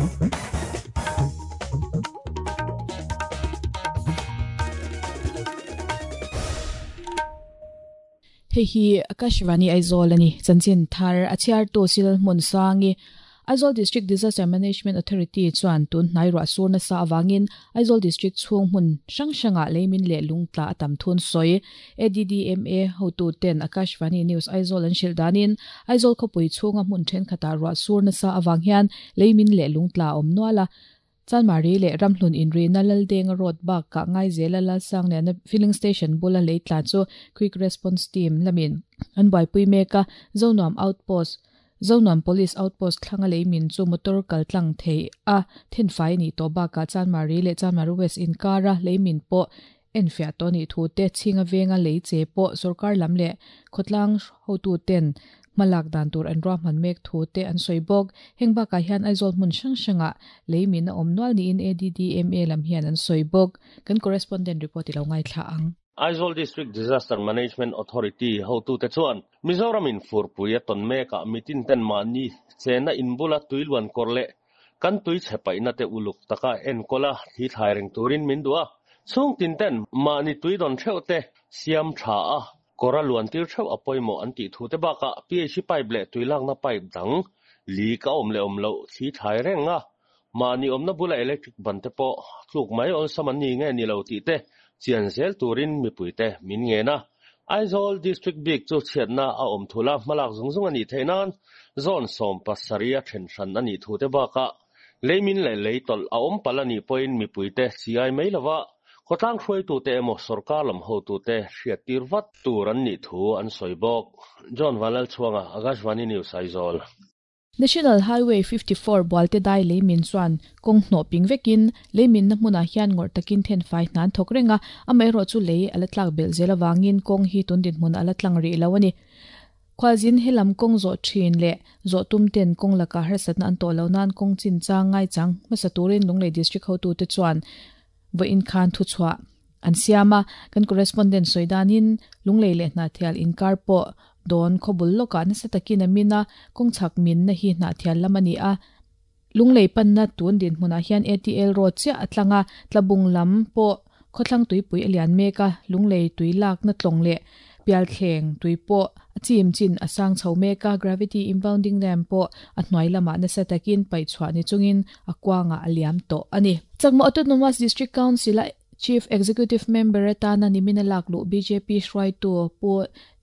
Hei hi Akashvani Aizawl a ni. Chanchin thar a chhiartu Sil Hmunsangi, Aizawl District Disaster Management Authority chuan tun hnai ruah sur nasa avangin Aizawl District chhung hmun hrang hrangah leimin leh lungtla a tam thun sawi. ADDMA hotuten Akashvani News Aizawl an hrilh danin Aizawl khawpui chhunga hmun thenkhatah ruah sur nasa avang hian leimin leh lungtla a awm nual a. Chanmari leh Ramhlun inrina Laldenga Road bakah Ngaizela Lalsangliana Filling Station bula lei tla chu Quick Response Team lamin an buaipui mek a, Zonuam Outpost, Zonuam Police Outpost thlanga lei min chu motor kal tlang thei a thenfai a nih tawh bakah Chanmari leh Chanmari West inkara lei min pawh enfiah tawh a nih thu te, chhinga venga lei che pawh sorkar lam leh khawtlang hotuten hmalak dan tur an ruahman mek thu te an sawi bawk. Heng bakah hian Aizawl hmun hrang hrangah lei min a awm nual niin ADDMA lam hian an sawi bawk. Kan correspondent report i lo ngaithla ang. Aizawl District Disaster Management Authority hotute chuan Mizoramin furpui a tawn mekah mitin ten mahni chenna inbula tuiluan kawr leh kan tui chhe paihna te uluk taka enkawl a thli thlai reng turin min duh a, chhung tin ten mahni tui dawn theuh te siam tha a, kawr a luan tir theuh a pawimawh an tih thu te bakah PHC pipe leh tui lakna pipe dang leak a awm leh awm loh thli thlai reng a, mahni awmna bula electric ban te pawh tluk mai awlsam an ni nge ni lo tih te chian zel turin mipui te min ngen a. Aizawl District bik chu chhiatna a awm thul a, hmalak zung zung a nih theih nan zawn 70 a then hran a nih thu te bakah leimin leh lei tawlh a awm palh a nih pawhin mipuite chi-ai mai lova khawtlang hruaitute emaw sorkar lam hotute hriattir vat tur an nih thu an sawi bawk. John Vanlalchhuanga, Akashvani News, Aizawl. National Highway 54 Bualte dai leimin chuan kawng hnawh ping vekin leiminna hmunah hian ngawrh takin thenfai hna an thawk reng a, amaherawhchu lei a la tlak belh zel avangin kawng hi tun dinhmun a la tlang rih lo a ni. Khualzin helam kawng zawh thin leh zawh tum ten kawng lakah harsatna an tawh lo nan kawng chinchang ngaichang hmasa turin Lunglei District hotute chuan vawiin khan thuchhuah an siam a, kan correspondent sawi danin Lunglei leh Hnahthial inkar pawh dawn khawbul lawkah nasa takin a min a, kawng chhak minna hi Hnahthial lam a ni a, Lunglei panna tun dinhmunah hian ATL road chiah a tlang a, Tlabung lam pawh khawthlang tuipui a lian mek a, Lunglei tui lakna tlawng leh Pialthleng tui pawh a chim chin a sang chho mek a, gravity impounding dam pawh a hnuai lamah nasa takin paih chhuah ni chungin a kuangah a liam tawh a ni. Chakma Autonomous District Council-a Chief Executive Member atana nimina lak luh bjp hruaitu Pu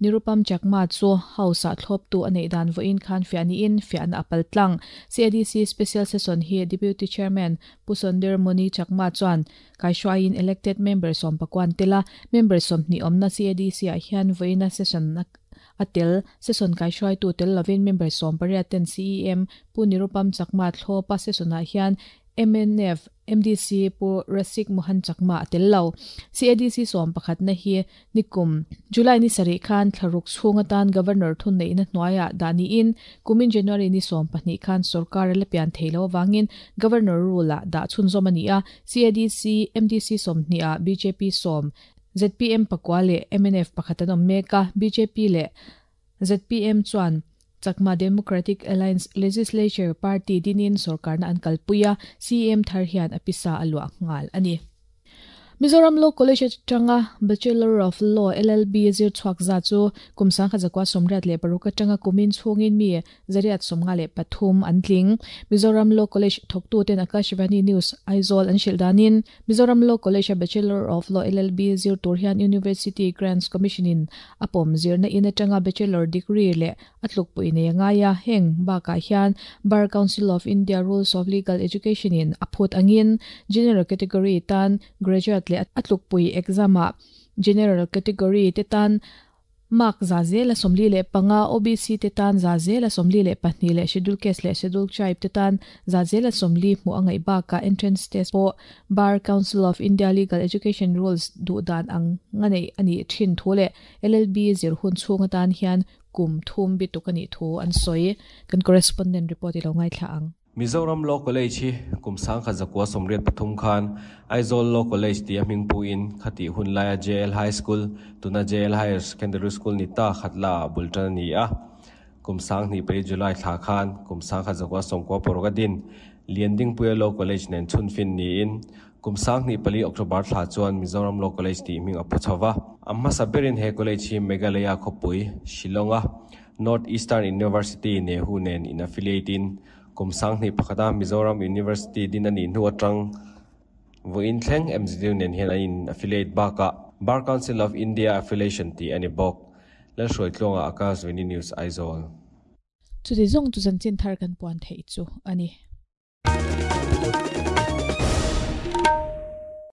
Nirupam Chakma chu House-ah thlawptu a neih dan vawiin khan fiah niin fiahna a pal tlang. CADC Special Session hi Deputy Chairman Pu Sondir Moni Chakma chuan kaihruaiin elected member sawmpakuan tel a, member 20 awmna CADC-ah hian vawiina session a tel. Session kaihruaitu tel lovin member 18 ten CEM Pu Nirupam Chakma thlawpa session-ah hian mnf MDC Pu Rasik Mohan Chakma a tel lo. CADC 11na hi nikum July ni sarih khan thlaruk chhung atan Governor thunneihna hnuaiah dah niin kumin January ni 12 khan sorkar a la pian thei lo avangin Governor rule-ah dah chhunzawm a ni a. CADC MDC 20ah bjp 10, zpm pakua leh mnf pakhat an awm mek a, bjp leh zpm chuan Chakma Democratic Alliance Legislature Party dinin sorkarna an kalpui a, CM thar hian a pisa a luah nghal a ni. Mizoram Law College atanga Bachelor of Law, LLB, zir chhuak za chu kum 1986 atanga kumin chhungin mi 153 an tling. Mizoram Law College thawktuten Akashvani News, Aizawl an hrilh danin Mizoram Law College-a Bachelor of Law, LLB, zir tur hian University Grants Commission-in a pawm zirna in atanga Bachelor degree leh a tlukpui nei a ngai a, heng bakah hian Bar Council of India Rules of Legal Education-in a phut angin General category tan Graduate leh a tlukpui exam-ah General category te tan Mark 45%, OBC te tan 42% leh Schedule Caste leh Schedule Tribe te tan 40% hmuh a ngaih bakah entrance test pawh Bar Council of India Legal Education Rules duh dan ang nga neih a nih thin thu leh LLB zir hun chhung atan hian kum thum bituk a nih thu an sawi. Kan correspondent report i lo ngaithla ang. Mizoram Law College hi kum 1983 khan Aizawl Law College tia hming puin khatih hun laia JL High School, tuna JL Higher Secondary School ni ta khat la bul tan a ni a. Kum 2004 July thla khan kum 1996 a din. Liandingpuia Law College nen chhunfin niin kum 24 October thla chuan Mizoram Law College tih hming a pu chho va. A hmasa berin he college hi Meghalaya khawpui Shillong-a North Eastern University Nehu nen in affiliate in kum 21 a Mizoram University din a nih hnu atang vawiin thleng MZU nen hian an in affiliate bakah Bar Council of India affiliation tih a ni bawk. Lalhruaitluanga Akashvani News Aizawl. Chuti zawng chu chanchin thar kan puan theih chu a ni.